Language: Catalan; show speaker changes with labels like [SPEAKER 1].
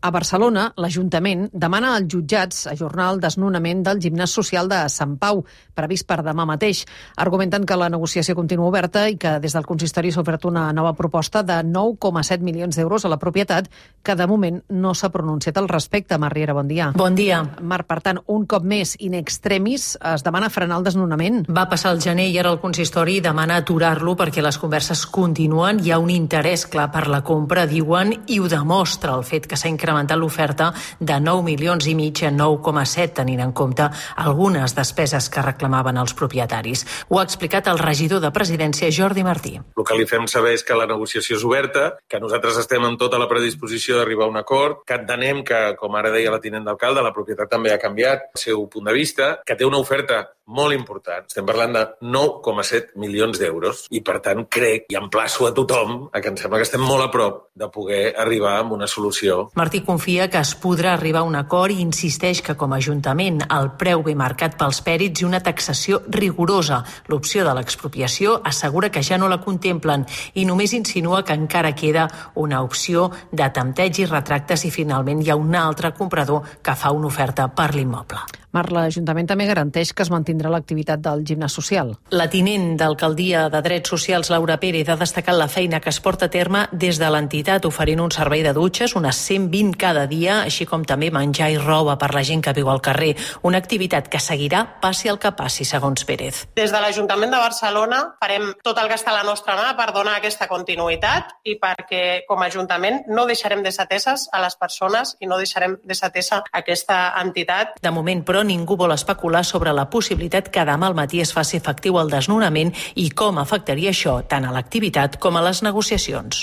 [SPEAKER 1] A Barcelona, l'Ajuntament demana als jutjats ajornar el desnonament del gimnàs social de Sant Pau, previst per demà mateix. Argumenten que la negociació continua oberta i que des del consistori s'ha ofert una nova proposta de 9,7 milions d'euros a la propietat, que de moment no s'ha pronunciat al respecte. Mar Riera, bon dia.
[SPEAKER 2] Bon dia.
[SPEAKER 1] Mar, per tant, un cop més, in extremis, es demana frenar el desnonament.
[SPEAKER 2] Va passar el gener i ara el consistori demana aturar-lo perquè les converses continuen. Hi ha un interès clar per la compra, diuen, i ho demostra el fet que s'ha incrementat l'oferta de 9 milions i mig a 9,7, tenint en compte algunes despeses que reclamaven els propietaris. Ho ha explicat el regidor de Presidència, Jordi Martí.
[SPEAKER 3] El que li fem saber és que la negociació és oberta, que nosaltres estem amb tota la predisposició d'arribar a un acord, que entenem que, com ara deia la tinent d'alcalde, la propietat també ha canviat el seu punt de vista, que té una oferta molt important. Estem parlant de 9,7 milions d'euros i, per tant, crec i emplaço a tothom que em sembla que estem molt a prop de poder arribar a una solució.
[SPEAKER 2] Martí confia que es podrà arribar a un acord i insisteix que, com a Ajuntament, el preu ve marcat pels pèrits i una taxació rigorosa. L'opció de l'expropiació assegura que ja no la contemplen i només insinua que encara queda una opció de tempteig i retracte si finalment hi ha un altre comprador que fa una oferta per l'immoble.
[SPEAKER 1] Mar, l'Ajuntament també garanteix que es mantindrà l'activitat del gimnàs social.
[SPEAKER 2] La tinent d'Alcaldia de Drets Socials, Laura Pérez, ha destacat la feina que es porta a terme des de l'entitat, oferint un servei de dutxes, unes 120 cada dia, així com també menjar i roba per la gent que viu al carrer. Una activitat que seguirà passi el que passi, segons Pérez.
[SPEAKER 4] Des de l'Ajuntament de Barcelona farem tot el que està a la nostra mà per donar aquesta continuïtat i perquè, com a Ajuntament, no deixarem desateses a les persones i no deixarem desatesa aquesta entitat.
[SPEAKER 2] De moment, però, ningú vol especular sobre la possibilitat que demà al matí es faci efectiu el desnonament i com afectaria això tant a l'activitat com a les negociacions.